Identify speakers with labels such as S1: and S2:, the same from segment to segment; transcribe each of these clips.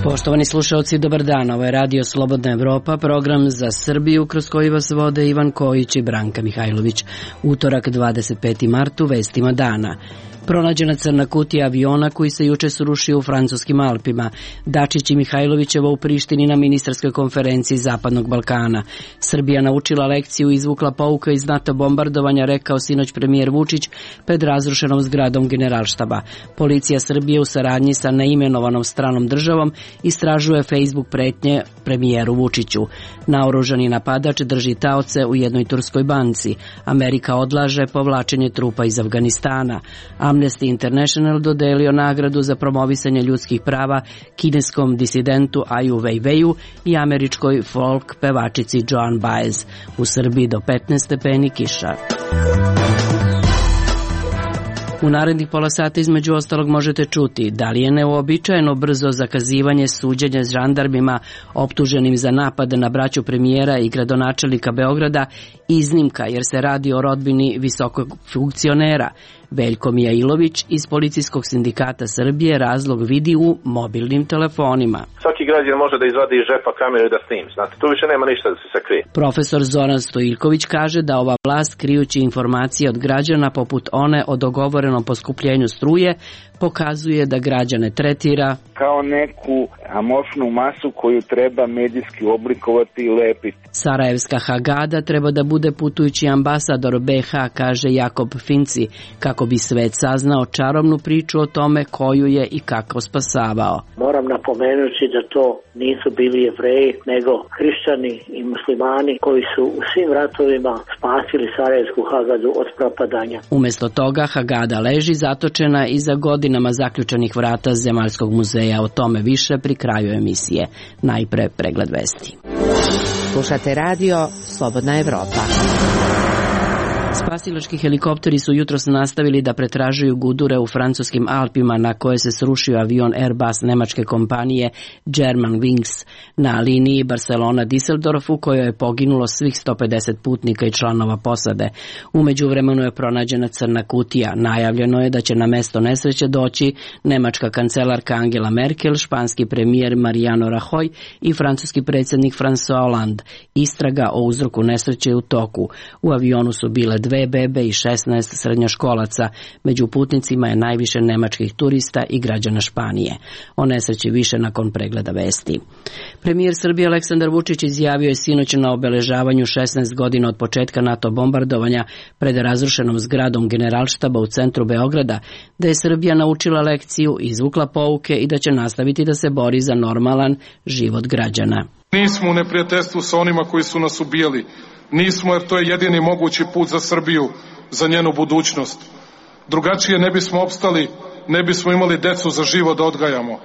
S1: Poštovani slušalci, dobar dan. Ovo je Radio Slobodna Evropa, program za Srbiju kroz koji vas vode Ivan Kojić i Branka Mihajlović. Utorak 25. martu, vestima dana. Pronađena crna kutija aviona koji se juče srušio u francuskim Alpima. Dačić i Mihajlovićeva u Prištini na ministarskoj konferenciji Zapadnog Balkana. Srbija naučila lekciju i izvukla pouka iz NATO bombardovanja, rekao sinoć premijer Vučić pred razrušenom zgradom Generalštaba. Policija Srbije u saradnji sa neimenovanom stranom državom istražuje Facebook pretnje premijeru Vučiću. Naoružani napadač drži taoce u jednoj turskoj banci. Amerika odlaže povlačenje trupa iz Afganistana. Amnesty International dodelio nagradu za promovisanje ljudskih prava kineskom disidentu Aju Weiweiju i američkoj folk pevačici Joan Baez. U Srbiji do 15 stepeni kiša. U narednih pola sata između ostalog možete čuti da li je neuobičajeno brzo zakazivanje suđenja žandarmima optuženim za napad na braću premijera i gradonačelnika Beograda iznimka jer se radi o rodbini visokog funkcionera. Veljko Mijailović iz Policijskog sindikata Srbije razlog vidi u mobilnim telefonima.
S2: Svaki građanin može da izvadi iz džepa kameru i da snimi. Znate, tu više nema ništa da se sakrije.
S1: Profesor Zoran Stojiljković kaže da ova vlast, krijući informacije od građana poput one o dogovorenom poskupljenju struje, pokazuje da građane tretira
S3: kao neku amorfnu masu koju treba medijski oblikovati i lepiti.
S1: Sarajevska Hagada treba da bude putujući ambasador BiH, kaže Jakob Finci, kako bi svet saznao čarobnu priču o tome koju je i kako spasavao.
S4: Moram napomenuti da to nisu bili Jevreji, nego hrišćani i muslimani koji su u svim ratovima spasili Sarajevsku Hagadu od propadanja.
S1: Umjesto toga Hagada leži zatočena iza godinama zaključanih vrata Zemaljskog muzeja. O tome više pri kraju emisije. Najpre pregled vesti.
S5: Slušate radio Slobodna Evropa.
S1: Spasilački helikopteri su jutros nastavili da pretražuju gudure u francuskim Alpima na koje se srušio avion Airbus nemačke kompanije Germanwings na liniji Barcelona-Düsseldorf u kojoj je poginulo svih 150 putnika i članova posade. U međuvremenu je pronađena crna kutija. Najavljeno je da će na mesto nesreće doći nemačka kancelarka Angela Merkel, španski premijer Mariano Rajoy i francuski predsjednik François Hollande. Istraga o uzroku nesreće je u toku. U avionu su bile 2 bebe i 16 srednjoškolaca. Među putnicima je najviše nemačkih turista i građana Španije. O nesreći više nakon pregleda vesti. Premijer Srbije Aleksandar Vučić izjavio je sinoć na obeležavanju 16 godina od početka NATO bombardovanja pred razrušenom zgradom Generalštaba u centru Beograda da je Srbija naučila lekciju, izvukla pouke i da će nastaviti da se bori za normalan život građana.
S6: Nismo u neprijateljstvu sa onima koji su nas ubijali. Nismo, jer to je jedini mogući put za Srbiju, za njenu budućnost. Drugačije ne bismo opstali, ne bismo imali decu za život da odgajamo.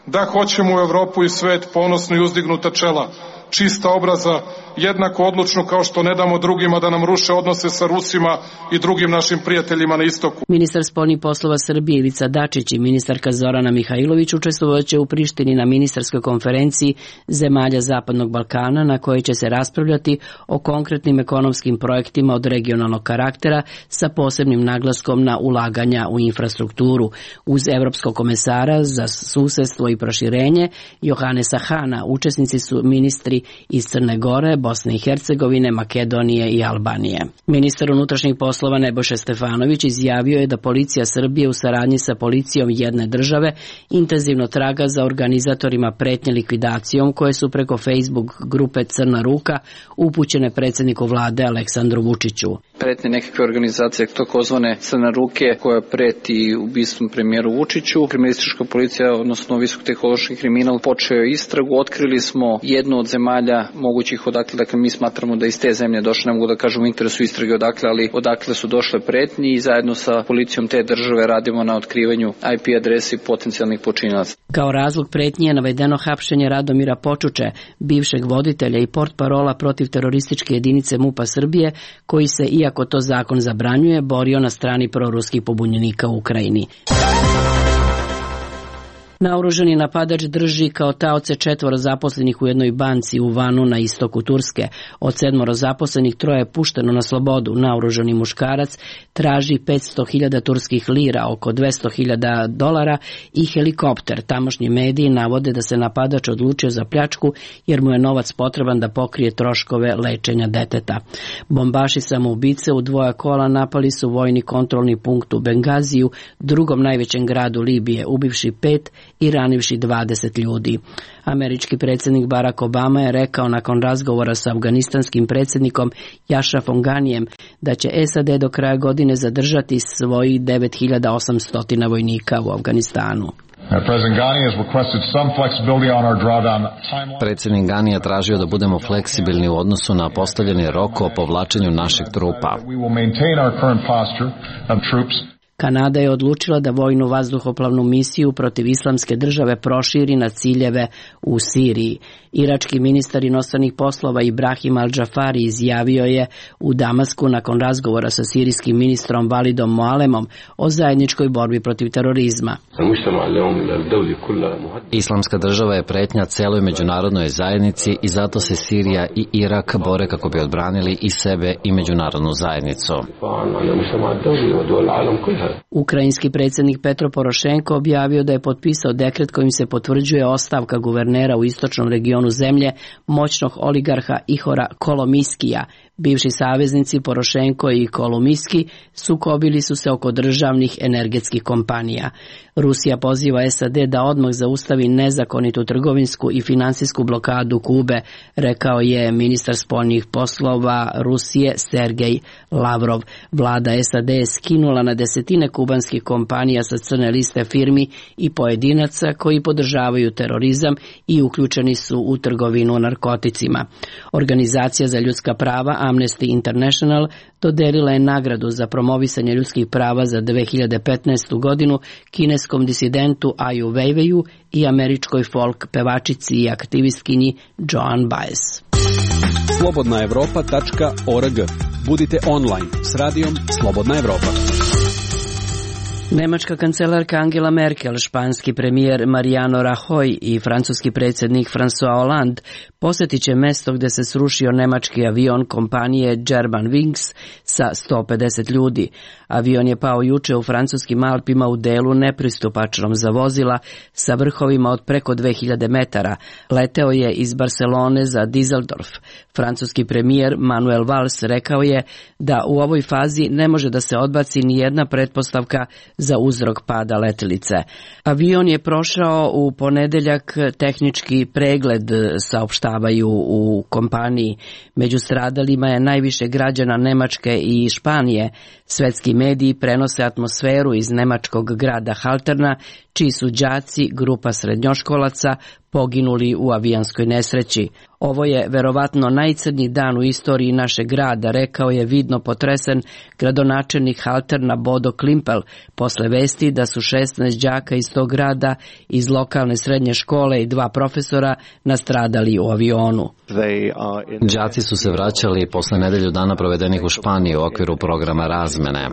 S6: Da hoćemo u Evropu i svet ponosno i uzdignuta čela, čista obraza, jednako odlučno kao što ne damo drugima da nam ruše odnose sa Rusima i drugim našim prijateljima na istoku.
S1: Ministar spoljnih poslova Srbije Ivica Dačić i ministarka Zorana Mihajlović učestvovaće u Prištini na ministarskoj konferenciji zemalja Zapadnog Balkana na kojoj će se raspravljati o konkretnim ekonomskim projektima od regionalnog karaktera sa posebnim naglaskom na ulaganja u infrastrukturu. Uz evropskog komesara za susedstvo i proširenje Johannesa Hana učesnici su ministri iz Crne Gore, Bosne i Hercegovine, Makedonije i Albanije. Ministar unutrašnjih poslova Nebojša Stefanović izjavio je da policija Srbije u saradnji sa policijom jedne države intenzivno traga za organizatorima pretnje likvidacijom koje su preko Facebook grupe Crna ruka upućene predsjedniku vlade Aleksandru Vučiću.
S7: Pretnje nekakve organizacije takozvane Crne ruke koja preti ubistvom premijeru Vučiću. Kriminalistička policija, odnosno visokotehnološki kriminal, počeo je istragu. Otkrili smo jednu od zemalja mogućih odakle, dakle mi smatramo da iz te zemlje došle, ne mogu da kažem u interesu istrage odakle, ali odakle su došle pretnje i zajedno sa policijom te države radimo na otkrivanju IP adresi potencijalnih počinilaca.
S1: Kao razlog pretnje je navedeno hapšenje Radomira Počuče, bivšeg voditelja i portparola protiv terorističke jedinice MUP-a Srbije, koji se, iako to zakon zabranjuje, borio na strani proruskih pobunjenika u Ukrajini. Naoružani napadač drži kao taoce 4 zaposlenih u jednoj banci u Vanu na istoku Turske. Od 7 zaposlenih 3 je pušteno na slobodu. Naoružani muškarac traži 500.000 turskih lira, oko $200.000 i helikopter. Tamošnji mediji navode da se napadač odlučio za pljačku jer mu je novac potreban da pokrije troškove lečenja deteta. Bombaši samoubice u 2 kola napali su vojni kontrolni punkt u Bengaziju, drugom najvećem gradu Libije, ubivši 5 i ranivši 20 ljudi. Američki predsjednik Barack Obama je rekao nakon razgovora sa afganistanskim predsjednikom Ashrafom Ganijem da će SAD do kraja godine zadržati svojih 9.800 vojnika u Afganistanu.
S8: Predsjednik Gani je tražio da budemo fleksibilni u odnosu na postavljeni rok o povlačenju naših trupa.
S1: Kanada je odlučila da vojnu vazduhoplovnu misiju protiv Islamske države proširi na ciljeve u Siriji. Irački ministar inostranih poslova Ibrahim Al-Džafari izjavio je u Damasku nakon razgovora sa sirijskim ministrom Validom Moalemom o zajedničkoj borbi protiv terorizma.
S8: Islamska država je pretnja celoj međunarodnoj zajednici i zato se Sirija i Irak bore kako bi odbranili i sebe i međunarodnu zajednicu.
S1: Ukrajinski predsjednik Petro Porošenko objavio da je potpisao dekret kojim se potvrđuje ostavka guvernera u istočnom regionu zemlje, moćnog oligarha Ihora Kolomiskija. Bivši saveznici Porošenko i Kolomiski sukobili su se oko državnih energetskih kompanija. Rusija poziva SAD da odmah zaustavi nezakonitu trgovinsku i finansijsku blokadu Kube, rekao je ministar spoljnih poslova Rusije Sergej Lavrov. Vlada SAD je skinula na desetine kubanskih kompanija sa crne liste firmi i pojedinaca koji podržavaju terorizam i uključeni su u trgovinu narkoticima. Organizacija za ljudska prava Amnesty International dodelila je nagradu za promovisanje ljudskih prava za 2015. godinu kineskom disidentu Aju Weiweiju i američkoj folk pevačici i aktivistkinji Joan Baez.
S9: Slobodnaevropa.org. Budite online s radijom Slobodna Evropa.
S1: Nemačka kancelarka Angela Merkel, španski premijer Mariano Rajoy i francuski predsjednik François Hollande posjetit će mjesto gdje se srušio nemački avion kompanije Germanwings sa 150 ljudi. Avion je pao juče u francuskim Alpima u delu nepristupačnom za vozila sa vrhovima od preko 2000 metara. Leteo je iz Barcelone za Düsseldorf. Francuski premijer Manuel Valls rekao je da u ovoj fazi ne može da se odbaci ni jedna pretpostavka za uzrok pada letjelice. Avion je prošao u ponedeljak tehnički pregled, saopštavaju u kompaniji. Među stradalima je najviše građana Nemačke i Španije. Svetski mediji prenose atmosferu iz nemačkog grada Halterna, čiji su đaci, grupa srednjoškolaca, poginuli u avijanskoj nesreći. Ovo je verovatno najcrnji dan u istoriji našeg grada, rekao je vidno potresen gradonačelnik Halterna Bodo Klimpel posle vesti da su 16 đaka iz tog grada iz lokalne srednje škole i 2 profesora nastradali u avionu.
S8: Đaci su se vraćali posle nedelju dana provedenih u Španiji u okviru programa razmene.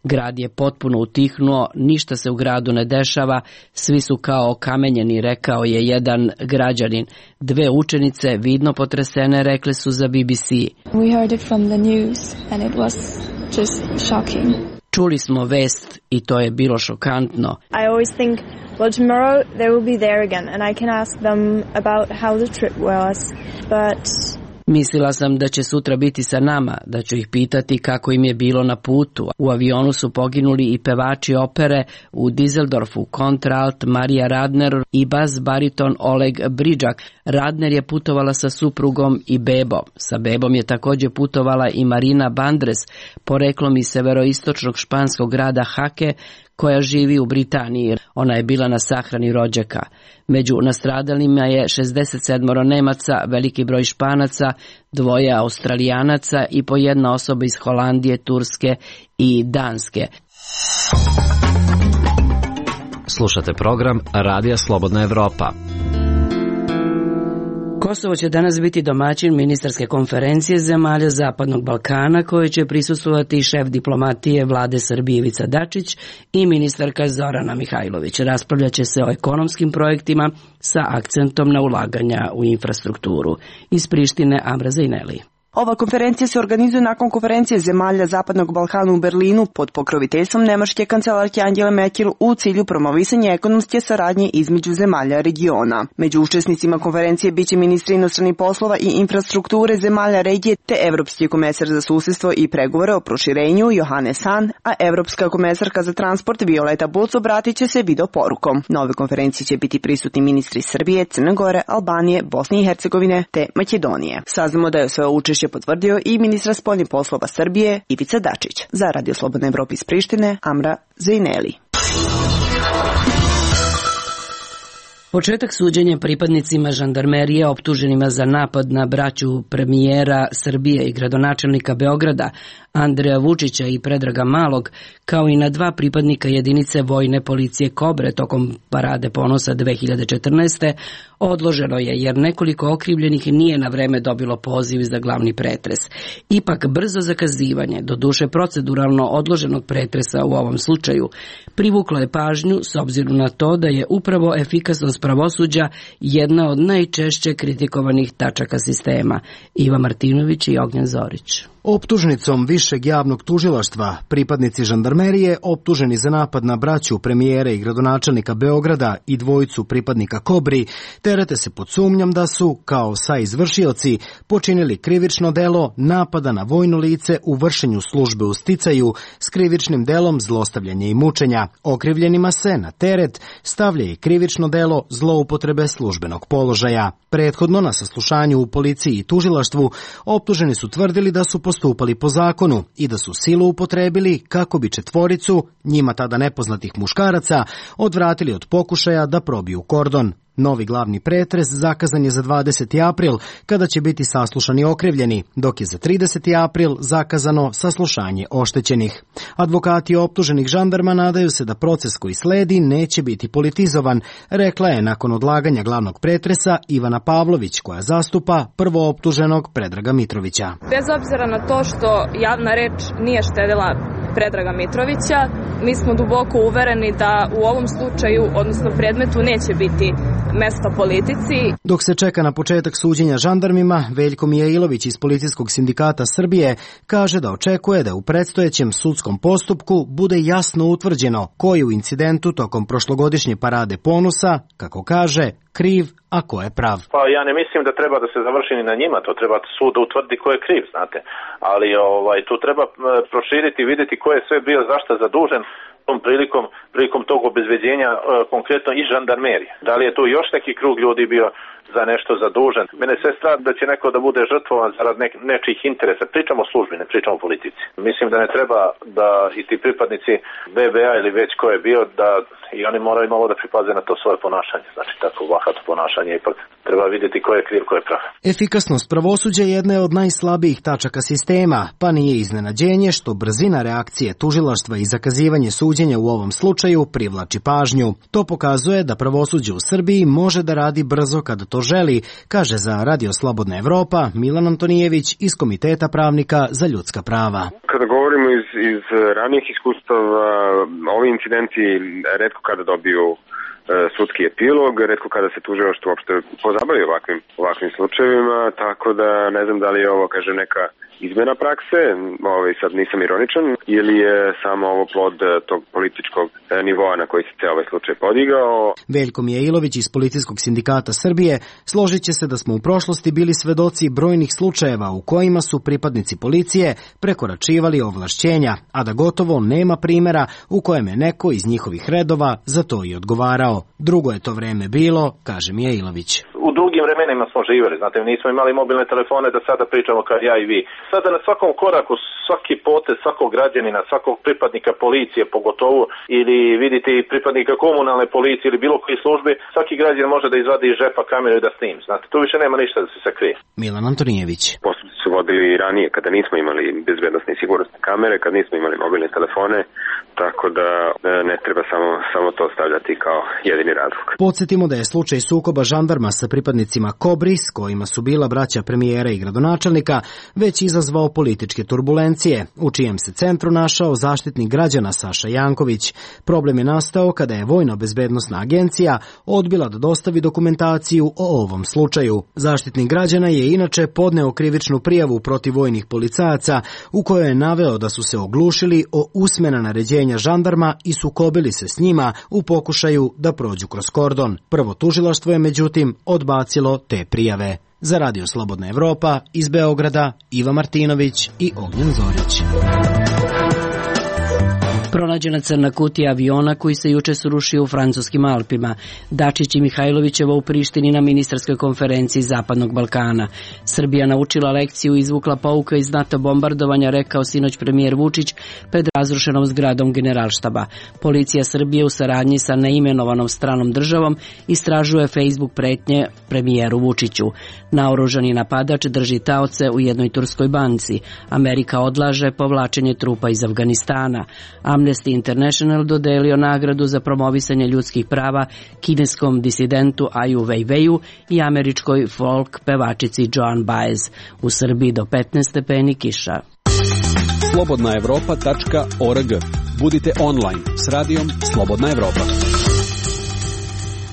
S1: Grad je potpuno utihnuo, ništa se u gradu ne dešava, svi su kao okamenjeni, rekao je jedan građanin. 2 učenice, vidno potresene, rekle su za BBC.
S10: We heard it from the news and it was just shocking.
S1: Čuli smo vest i to je bilo šokantno.
S10: I always think, well, tomorrow they will be there again and I can ask them about how the trip was, but
S1: mislila sam da će sutra biti sa nama, da ću ih pitati kako im je bilo na putu. U avionu su poginuli i pevači opere u Düsseldorfu, kontraalt Marija Radner i bas bariton Oleg Bridžak. Radner je putovala sa suprugom i bebom. Sa bebom je također putovala i Marina Bandres, poreklom iz severoistočnog španskog grada Hake, koja živi u Britaniji. Ona je bila na sahrani rođaka. Među nastradalima je 67 Nemaca, veliki broj Španaca, 2 Australijanaca i po 1 osoba iz Holandije, Turske i Danske.
S8: Slušate program Radija Slobodna Evropa.
S1: Kosovo će danas biti domaćin ministarske konferencije zemalja Zapadnog Balkana koje će prisustvovati šef diplomatije vlade Srbije Ivica Dačić i ministarka Zorana Mihajlović. Raspravljaće se o ekonomskim projektima sa akcentom na ulaganja u infrastrukturu. Iz Prištine Amra Zejneli.
S11: Ova konferencija se organizuje nakon konferencije zemalja Zapadnog Balkana u Berlinu pod pokroviteljstvom nemačke kancelarke Angele Merkel u cilju promovisanja ekonomske saradnje između zemalja regiona. Među učesnicima konferencije biće ministri inostranih poslova i infrastrukture zemalja regije te evropski komesar za susedstvo i pregovore o proširenju Johannes Hahn, a evropska komesarka za transport Violeta Bulc obratit će se video porukom. Na ove konferencije će biti prisutni ministri Srbije, Crne Gore, Albanije, Bosne i Hercegovine te Makedonije. Saznamo da je svoje učešće potvrdio i ministra spoljnih poslova Srbije Ivica Dačić. Za Radio Slobodna Evropa iz Prištine, Amra Zejneli.
S1: Početak suđenja pripadnicima žandarmerije optuženima za napad na braću premijera Srbije i gradonačelnika Beograda Andreja Vučića i Predraga Malog, kao i na dva pripadnika jedinice vojne policije Kobre tokom Parade ponosa 2014. odloženo je jer nekoliko okrivljenih nije na vreme dobilo poziv za glavni pretres. Ipak brzo zakazivanje, doduše proceduralno odloženog pretresa u ovom slučaju, privuklo je pažnju s obzirom na to da je upravo efikasnost pravosuđa jedna od najčešće kritikovanih tačaka sistema. Iva Martinović i Ognjen Zorić.
S12: Optužnicom Višeg javnog tužilaštva pripadnici žandarmerije optuženi za napad na braću premijera i gradonačelnika Beograda i dvojicu pripadnika Kobri terete se pod sumnjom da su, kao saizvršioci, počinili krivično delo napada na vojno lice u vršenju službe u sticaju s krivičnim delom zlostavljanja i mučenja. Okrivljenima se na teret stavlja i krivično delo zloupotrebe službenog položaja. Prethodno na saslušanju u policiji i tužilaštvu optuženi su tvrdili da su postupali po zakonu i da su silu upotrebili kako bi četvoricu, njima tada nepoznatih muškaraca, odvratili od pokušaja da probiju kordon. Novi glavni pretres zakazan je za 20. april, kada će biti saslušani okrivljeni, dok je za 30. april zakazano saslušanje oštećenih. Advokati optuženih žandarma nadaju se da proces koji sledi neće biti politizovan, rekla je nakon odlaganja glavnog pretresa Ivana Pavlović, koja zastupa prvooptuženog Predraga Mitrovića.
S13: Bez obzira na to što javna reč nije štedila Predraga Mitrovića, mi smo duboko uvereni da u ovom slučaju, odnosno predmetu, neće biti mesta politici.
S12: Dok se čeka na početak suđenja žandarmima, Veljko Mijailović iz Policijskog sindikata Srbije kaže da očekuje da u predstojećem sudskom postupku bude jasno utvrđeno ko je u incidentu tokom prošlogodišnje Parade ponosa, kako kaže, kriv, a ko je prav.
S2: Pa ja ne mislim da treba da se završi ni na njima, to treba sud utvrdi ko je kriv, znate. Ali tu treba proširiti i vidjeti ko je sve bio zašto zadužen tom prilikom tog obezbeđenja, konkretno i žandarmerije. Da li je tu još neki krug ljudi bio za nešto zadužen? Mene sve strah da će neko da bude žrtvovan zarad nečijih interesa. Pričamo o službi, ne pričamo o politici. Mislim da ne treba da i ti pripadnici BBA ili već ko je bio, da i oni moraju malo da pripaze na to svoje ponašanje. Znači tako bahato ponašanje, ipak treba vidjeti ko je kriv, ko je prav.
S12: Efikasnost pravosuđa jedne od najslabijih tačaka sistema, pa nije iznenađenje što brzina reakcije tužilaštva i zakazivanje suđenja u ovom slučaju privlači pažnju. To pokazuje da pravosuđe u Srbiji može da radi brzo kada to želi, kaže za Radio Slobodna Evropa Milan Antonijević iz Komiteta pravnika za ljudska prava.
S14: Kada govorimo iz ranijih iskustava, ovi incidenti retko kada dobiju sudski epilog, retko kada se tužilaštvo uopšte pozabavi ovakvim slučajevima, tako da ne znam da li je ovo, kaže, neka izmena prakse, sad nisam ironičan, ili je samo ovo plod tog političkog nivoa na koji se ovaj slučaj podigao.
S12: Veljko Mijailović iz Policijskog sindikata Srbije složit će se da smo u prošlosti bili svedoci brojnih slučajeva u kojima su pripadnici policije prekoračivali ovlašćenja, a da gotovo nema primjera u kojem je neko iz njihovih redova za to i odgovarao. Drugo je to vreme bilo, kaže Mijailović.
S2: U drugim vremenima smo živjeli, znate, nismo imali mobilne telefone da sada pričamo kao ja i vi. Sada na svakom koraku, svaki potez, svakog građanina, svakog pripadnika policije pogotovo, ili vidite i pripadnika komunalne policije ili bilo koje službe, svaki građanin može da izvadi iz žepa kameru i da snim. Znate, tu više nema ništa da se sakrije.
S12: Milan Antonijević.
S14: Postupci su vodili i ranije kada nismo imali bezbednosne i sigurnosne kamere, kad nismo imali mobilne telefone, tako da ne treba samo to stavljati kao jedini razlog.
S12: Podsjetimo da je slučaj sukoba žandarma sa pripadnicima Kobri, s kojima su bila braća premijera i gradonačelnika, već izazvao političke turbulencije, u čijem se centru našao zaštitnik građana Saša Janković. Problem je nastao kada je Vojna bezbednosna agencija odbila da dostavi dokumentaciju o ovom slučaju. Zaštitnik građana je inače podneo krivičnu prijavu protiv vojnih policajaca u kojoj je naveo da su se oglušili o usmena naređenja žandarma i sukobili se s njima u pokušaju da prođu kroz kordon. Prvo tužilaštvo je međutim odbacilo te prijave. Za Radio Slobodna Evropa iz Beograda Iva Martinović i Ognjen Zorić.
S1: Pronađena crna kutija aviona koji se juče srušio u francuskim Alpima. Dačić i Mihajlovićeva u Prištini na ministarskoj konferenciji Zapadnog Balkana. Srbija naučila lekciju i izvukla pouka iz NATO bombardovanja, rekao sinoć premijer Vučić pred razrušenom zgradom Generalštaba. Policija Srbije u saradnji sa neimenovanom stranom državom istražuje Facebook pretnje premijeru Vučiću. Naoružani napadač drži taoce u jednoj turskoj banci. Amerika odlaže povlačenje trupa iz Afganistana. Amnesty International dodelio nagradu za promovisanje ljudskih prava kineskom disidentu Aju Weiweiju i američkoj folk pevačici Joan Baez. U Srbiji do 15 stepeni kiša.
S9: Slobodnaevropa.org. Budite online s radijom Slobodna Evropa.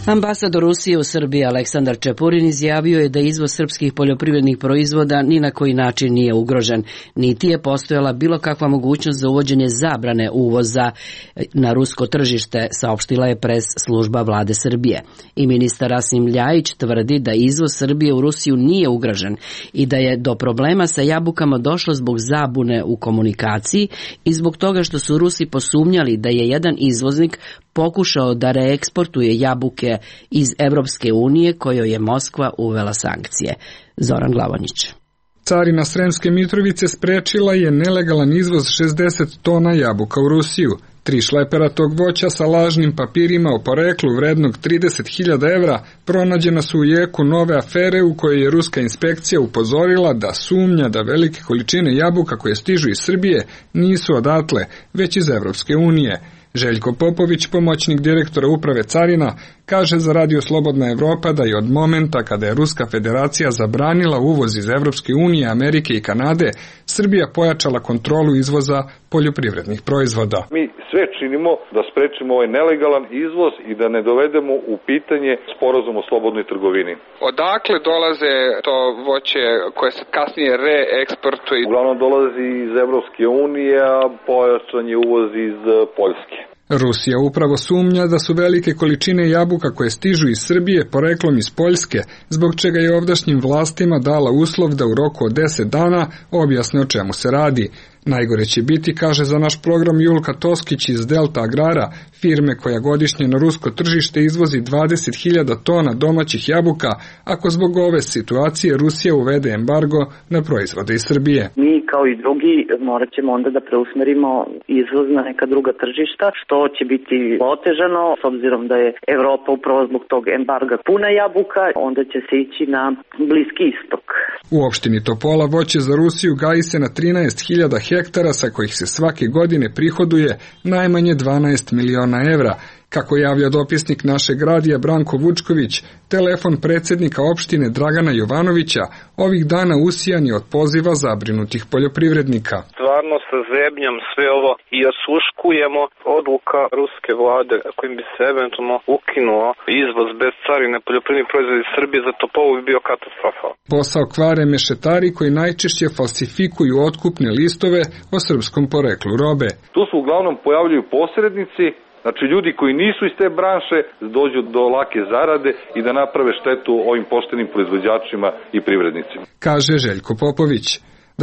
S1: Ambasador Rusije u Srbiji Aleksandar Čepurin izjavio je da izvoz srpskih poljoprivrednih proizvoda ni na koji način nije ugrožen, niti je postojala bilo kakva mogućnost za uvođenje zabrane uvoza na rusko tržište, saopštila je pres služba vlade Srbije. I ministar Rasim Ljajić tvrdi da izvoz Srbije u Rusiju nije ugrožen i da je do problema sa jabukama došlo zbog zabune u komunikaciji i zbog toga što su Rusi posumnjali da je jedan izvoznik pokušao da reeksportuje jabuke iz Evropske unije kojoj je Moskva uvela sankcije. Zoran Glavonjić.
S15: Carina Sremske Mitrovice sprečila je nelegalan izvoz 60 tona jabuka u Rusiju. 3 šlepera tog voća sa lažnim papirima o poreklu vrednog 30.000 evra pronađena su u jeku nove afere u kojoj je ruska inspekcija upozorila da sumnja da velike količine jabuka koje stižu iz Srbije nisu odatle, već iz Evropske unije. Željko Popović, pomoćnik direktora uprave carina, kaže za Radio Slobodna Evropa da je od momenta kada je Ruska federacija zabranila uvoz iz Evropske unije, Amerike i Kanade, Srbija pojačala kontrolu izvoza poljoprivrednih proizvoda.
S16: Mi sve činimo da sprečimo ovaj nelegalan izvoz i da ne dovedemo u pitanje sporazum o slobodnoj trgovini.
S17: Odakle dolaze to voće koje se kasnije reeksportuje?
S16: Uglavnom dolazi iz Evropske unije, a pojačan je uvoz iz Poljske.
S15: Rusija upravo sumnja da su velike količine jabuka koje stižu iz Srbije poreklom iz Poljske, zbog čega je ovdašnjim vlastima dala uslov da u roku od 10 dana objasne o čemu se radi. Najgore će biti, kaže za naš program Julka Toskić iz Delta Agrara, firme koja godišnje na rusko tržište izvozi 20.000 tona domaćih jabuka, ako zbog ove situacije Rusija uvede embargo na proizvode iz Srbije.
S18: Mi kao i drugi morat ćemo onda da preusmerimo izvoz na neka druga tržišta, što će biti otežano, s obzirom da je Evropa upravo zbog tog embarga puna jabuka, onda će se ići na Bliski istok.
S15: U opštini Topola voće za Rusiju gaji se na 13.000 hektara sa kojih se svake godine prihoduje najmanje 12 miliona evra. Kako javlja dopisnik našeg radija Branko Vučković, telefon predsjednika opštine Dragana Jovanovića ovih dana usijan je od poziva zabrinutih poljoprivrednika.
S19: Stvarno sa zebnjom sve ovo i osluškujemo odluka ruske vlade kojim bi se eventualno ukinuo izvoz bez carine poljoprivrednih proizvoda iz Srbije, za Topolu bi bio katastrofal.
S15: Posao kvare mešetari koji najčešće falsifikuju otkupne listove o srpskom poreklu robe.
S16: Tu se uglavnom pojavljuju posrednici, znači ljudi koji nisu iz te branše dođu do lake zarade i da naprave štetu ovim poštenim proizvođačima i privrednicima.
S15: Kaže Željko Popović.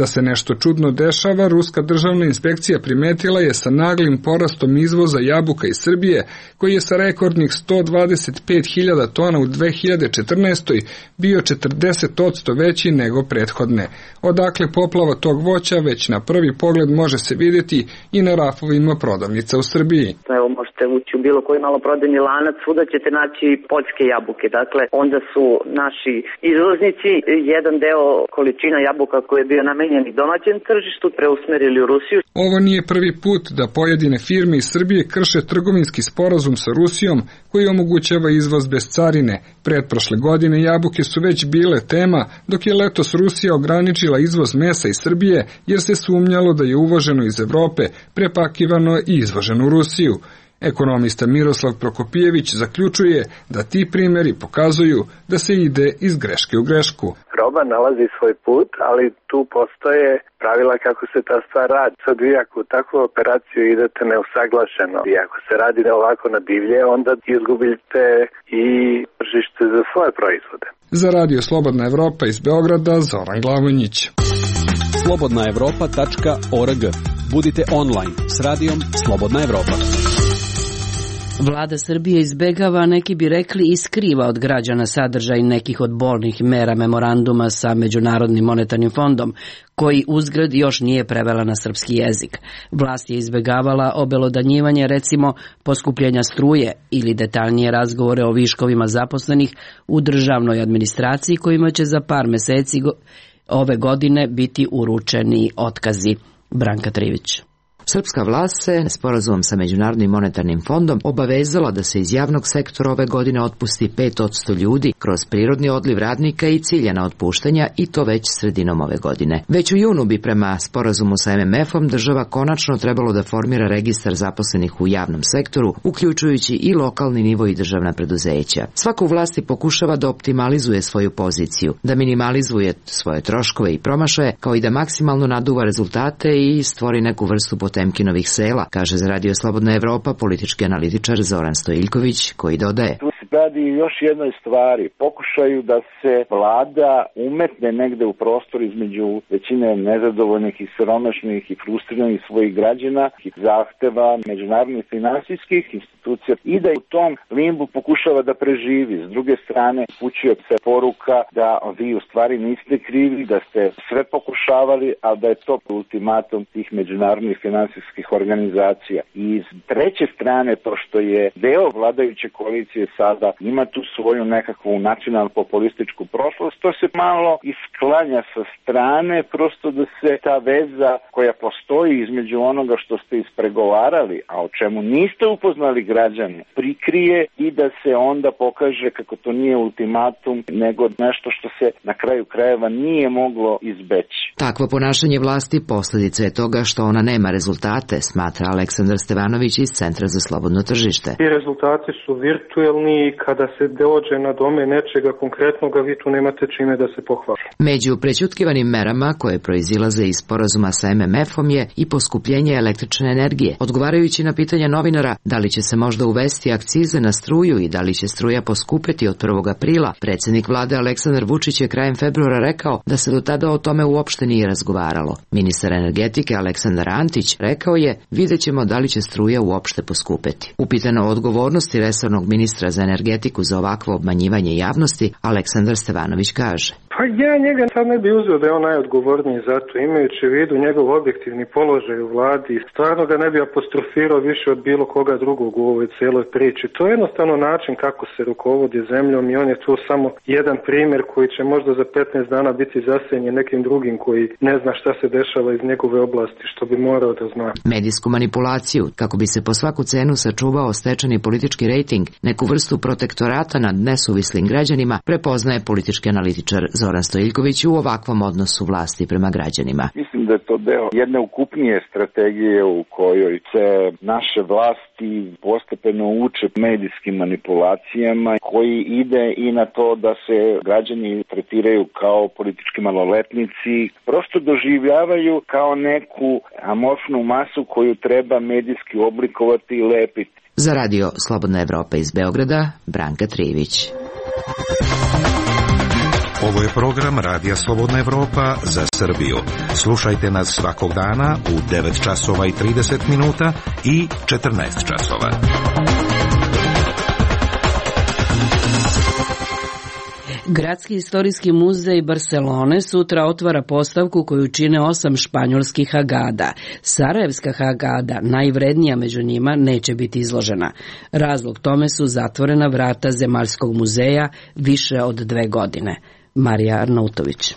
S15: Da se nešto čudno dešava, Ruska državna inspekcija primetila je sa naglim porastom izvoza jabuka iz Srbije, koji je sa rekordnih 125.000 tona u 2014. bio 40% veći nego prethodne. Odakle poplava tog voća već na prvi pogled može se vidjeti i na rafovima prodavnica u Srbiji.
S18: Evo možete ući u bilo koji maloprodajni lanac, svuda ćete naći poljske jabuke. Dakle, onda su naši izvoznici jedan deo količina jabuka koji je bio namenjen namenjeni domaćem tržištu preusmerili u Rusiju.
S15: Ovo nije prvi put da pojedine firme iz Srbije krše trgovinski sporazum sa Rusijom koji omogućava izvoz bez carine. Pretprošle godine jabuke su već bile tema, dok je letos Rusija ograničila izvoz mesa iz Srbije jer se sumnjalo da je uvoženo iz Evrope, prepakivano i izvoženo u Rusiju. Ekonomista Miroslav Prokopijević zaključuje da ti primjeri pokazuju da se ide iz greške u grešku.
S20: Roba nalazi svoj put, ali tu postoje pravila kako se ta stvar radi. Sad vi ako u takvu operaciju idete neusaglašeno i ako se radi ovako na divlje, onda izgubite i tržište za svoje proizvode.
S15: Za Radio Slobodna Evropa iz Beograda, Zoran Glavonjić.
S9: slobodnaevropa.org. Budite online s radijom Slobodna Evropa.
S1: Vlada Srbije izbegava, neki bi rekli i skriva od građana sadržaj nekih od bolnih mera memoranduma sa Međunarodnim monetarnim fondom, koji uzgred još nije prevela na srpski jezik. Vlast je izbegavala obelodanjivanje, recimo, poskupljenja struje ili detaljnije razgovore o viškovima zaposlenih u državnoj administraciji kojima će za par meseci ove godine biti uručeni otkazi. Branka Trivić.
S21: Srpska vlast se sporazumom sa Međunarodnim monetarnim fondom obavezala da se iz javnog sektora ove godine otpusti 5% ljudi kroz prirodni odliv radnika i ciljana otpuštanja, i to već sredinom ove godine. Već u junu bi prema sporazumu sa MMF-om država konačno trebalo da formira registar zaposlenih u javnom sektoru, uključujući i lokalni nivo i državna preduzeća. Svako u vlasti pokušava da optimalizuje svoju poziciju, da minimalizuje svoje troškove i promašaje, kao i da maksimalno naduva rezultate i stvori neku vrstu Potemkinovih sela, kaže za Radio Slobodna Evropa politički analitičar Zoran Stojiljković, koji dodaje:
S3: Tu se radi još jednoj stvari, pokušaju da se vlada umetne negde u prostor između većine nezadovoljnih i siromašnih i frustriranih svojih građana i zahteva međunarodnih finansijskih institucija i da u tom limbu pokušava da preživi. S druge strane, upućuje se poruka da vi u stvari niste krivi, da ste sve pokušavali, a da je to ultimatum tih međunarodnih finansijskih organizacija. I s treće strane, to što je deo vladajuće koalicije sada ima tu svoju nekakvu nacionalnu populističku prošlost, to se malo isklanja sa strane, prosto da se ta veza koja postoji između onoga što ste ispregovarali, a o čemu niste upoznali građane, prikrije i da se onda pokaže kako to nije ultimatum, nego nešto što se na kraju krajeva nije moglo izbeći.
S21: Takvo ponašanje vlasti posljedica je toga što ona nema rezultate, smatra Aleksandar Stevanović iz Centra za slobodno tržište.
S22: Ti rezultati su virtuelni i kada se dođe na dome nečega konkretnoga, vi tu nemate čime da se pohvali.
S21: Među prećutkivanim merama koje proizilaze iz sporazuma sa MMF-om je i poskupljenje električne energije. Odgovarajući na pitanja novinara da li će se možda uvesti akcize na struju i da li će struja poskupeti od 1. aprila, predsjednik vlade Aleksandar Vučić je krajem februara rekao da se do tada o tome uopšte nije razgovaralo. Ministar energetike Aleksandar Antić rekao je: vidjet ćemo da li će struja uopšte poskupeti. Upitano o odgovornosti resornog ministra za energetiku za ovakvo obmanjivanje javnosti, Aleksandar Stevanović kaže:
S22: Pa ja njega sad ne bi uzeo da je on najodgovorniji za to, imajući u vidu njegov objektivni položaj u vladi. Stvarno ga ne bi apostrofirao više od bilo koga drugog u ovoj cijeloj priči. To je jednostavno način kako se rukovodi zemljom i on je tu samo jedan primjer koji će možda za 15 dana biti zasenjen nekim drugim koji ne zna šta se dešava iz njegove oblasti, što bi morao da zna.
S21: Medijsku manipulaciju, kako bi se po svaku cenu sačuvao stečeni politički rejting, neku vrstu protektorata nad nesuvislim građanima, prepoznaje politički analitičar Zoran Stojiljković u ovakvom odnosu vlasti prema građanima.
S3: Mislim da je to deo jedne ukupnije strategije u kojoj se naše vlasti postepeno uče medijskim manipulacijama, koji ide i na to da se građani tretiraju kao politički maloletnici, prosto doživljavaju kao neku amorfnu masu koju treba medijski oblikovati i lepiti.
S21: Za Radio Slobodna Evropa iz Beograda, Branka Trivić.
S23: Ovo je program Radija Slobodna Evropa za Srbiju. Slušajte nas svakog dana u 9 časova i 30 minuta i 14 časova.
S1: Gradski istorijski muzej Barcelone sutra otvara postavku koju čine 8 španjolskih agada. Sarajevska agada, najvrednija među njima, neće biti izložena. Razlog tome su zatvorena vrata Zemaljskog muzeja više od 2 godine. Marija Arnautović.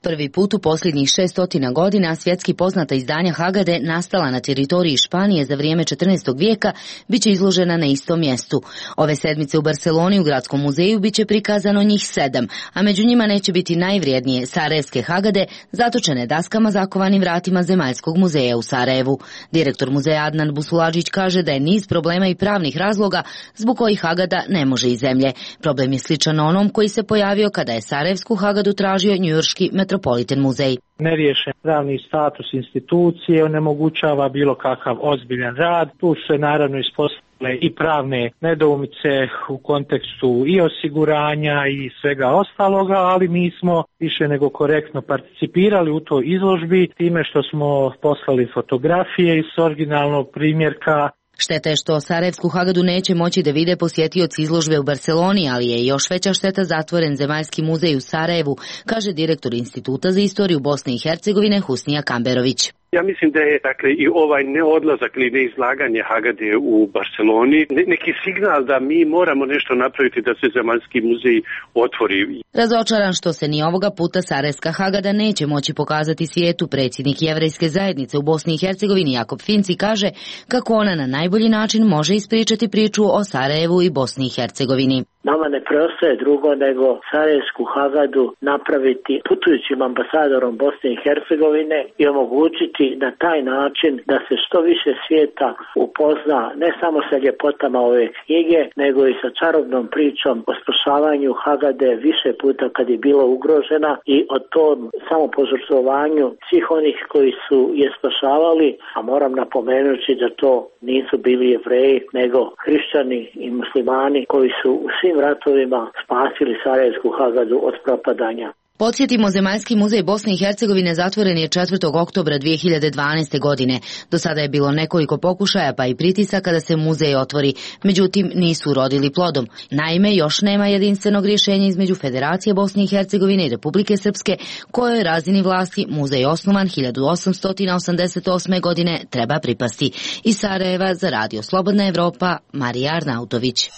S4: Prvi put u posljednjih 600 godina svjetski poznata izdanja Hagade nastala na teritoriji Španije za vrijeme 14. vijeka biće izložena na istom mjestu. Ove sedmice u Barceloni u Gradskom muzeju biće prikazano njih 7, a među njima neće biti najvrijednije sarajevske Hagade zatočene daskama zakovanim vratima Zemaljskog muzeja u Sarajevu. Direktor muzeja Adnan Busuladžić kaže da je niz problema i pravnih razloga zbog kojih Hagada ne može iz zemlje. Problem je sličan onom koji se pojavio kada je sarajevsku Hagadu tražio njujorški Metropolitan muzej.
S5: Neriješen pravni status institucije onemogućava bilo kakav ozbiljan rad. Tu su se naravno ispostavile i pravne nedoumice u kontekstu i osiguranja i svega ostaloga, ali mi smo više nego korektno participirali u toj izložbi time što smo poslali fotografije iz originalnog primjerka.
S4: Šteta je što sarajevsku Hagadu neće moći da vide posjetioci izložbe u Barceloni, ali je još veća šteta zatvoren Zemaljski muzej u Sarajevu, kaže direktor Instituta za istoriju Bosne i Hercegovine Husnija Kamberović.
S6: Ja mislim da je i ovaj neodlazak ili neizlaganje Hagade u Barceloni neki signal da mi moramo nešto napraviti da se Zemaljski muzej otvori.
S4: Razočaran što se ni ovoga puta sarajevska Hagada neće moći pokazati svijetu, predsjednik Jevrejske zajednice u Bosni i Hercegovini Jakob Finci kaže kako ona na najbolji način može ispričati priču o Sarajevu i Bosni i Hercegovini.
S24: Nama ne preostaje drugo nego sarajevsku Hagadu napraviti putujućim ambasadorom Bosne i Hercegovine i omogućiti na taj način da se što više svijeta upozna ne samo sa ljepotama ove knjige, nego i sa čarobnom pričom o spašavanju Hagade više puta kad je bila ugrožena i o tom samopožrtvovanju svih onih koji su je spašavali, a moram napomenuti da to nisu bili Jevreji, nego hrišćani i muslimani koji su u svim ratovima spasili sarajevsku Hagadu od propadanja.
S4: Podsjetimo, Zemaljski muzej Bosne i Hercegovine zatvoren je 4. oktobra 2012. godine. Do sada je bilo nekoliko pokušaja pa i pritisaka da se muzej otvori, međutim nisu urodili plodom. Naime, još nema jedinstvenog rješenja između Federacije Bosne i Hercegovine i Republike Srpske, kojoj razini vlasti muzej osnovan 1888. godine treba pripasti. Iz Sarajeva za Radio Slobodna Evropa, Marija Arnautović.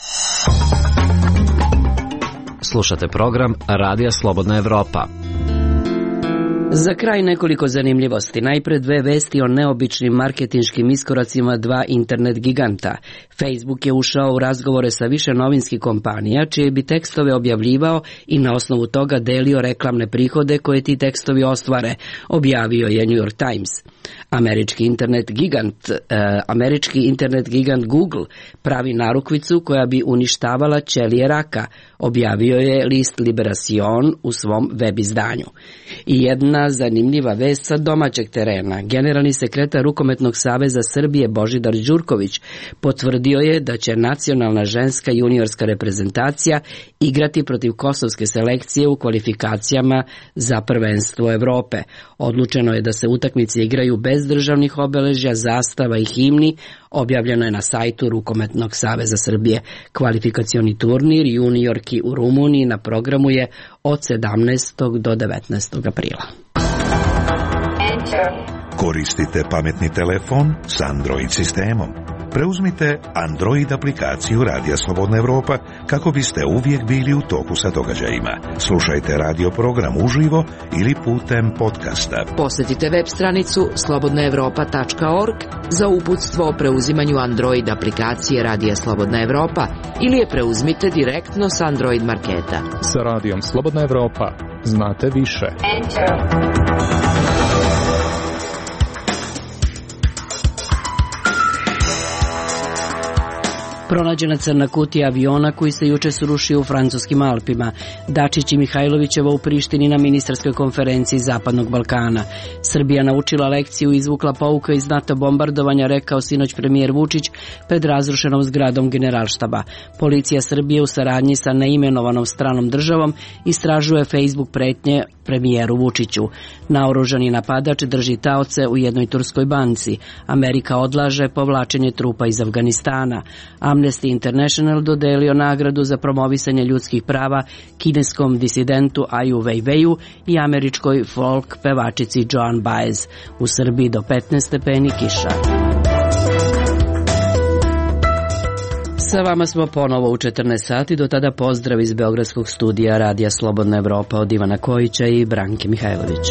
S8: Slušate program Radija Slobodna Evropa.
S1: Za kraj nekoliko zanimljivosti. Najpred dve vesti o neobičnim marketinškim iskoracima dva internet giganta. Facebook je ušao u razgovore sa više novinskih kompanija, čije bi tekstove objavljivao i na osnovu toga delio reklamne prihode koje ti tekstovi ostvare, objavio je New York Times. Američki internet gigant Google pravi narukvicu koja bi uništavala ćelije raka, objavio je list Liberacion u svom web izdanju. I jedna zanimljiva vest sa domaćeg terena. Generalni sekretar Rukometnog saveza Srbije Božidar Đurković potvrdio je da će nacionalna ženska juniorska reprezentacija igrati protiv kosovske selekcije u kvalifikacijama za prvenstvo Evrope. Odlučeno je da se utakmice igraju bez državnih obeležja, zastava i himni, objavljeno je na sajtu Rukometnog saveza Srbije. Kvalifikacioni turnir juniorki u Rumuniji na programu je od 17. do 19. aprila.
S23: Koristite pametni telefon s Android sistemom. Preuzmite Android aplikaciju Radija Slobodna Evropa kako biste uvijek bili u toku sa događajima. Slušajte radio program uživo ili putem podcasta.
S21: Posjetite web stranicu slobodnaevropa.org za uputstvo o preuzimanju Android aplikacije Radija Slobodna Evropa ili je preuzmite direktno s Android marketa.
S25: Sa Radijom Slobodna Evropa znate više.
S1: Pronađena crna kutija aviona koji se juče srušio u francuskim Alpima. Dačić i Mihajlovićeva u Prištini na ministarskoj konferenciji Zapadnog Balkana. Srbija naučila lekciju i izvukla pouka iz NATO bombardovanja, rekao sinoć premijer Vučić pred razrušenom zgradom Generalštaba. Policija Srbije u saradnji sa neimenovanom stranom državom istražuje Facebook pretnje premijeru Vučiću. Naoružani napadač drži taoce u jednoj turskoj banci. Amerika odlaže povlačenje trupa iz Afganistana. Amnesty International dodelio nagradu za promovisanje ljudskih prava kineskom disidentu Aju Weiweiju i američkoj folk pevačici Joan Baez. U Srbiji do 15 stepeni kiša. Sa vama smo ponovo u 14 sati, do tada pozdrav iz Beogradskog studija Radija Slobodna Evropa od Ivana Kojića i Branke Mihajlović.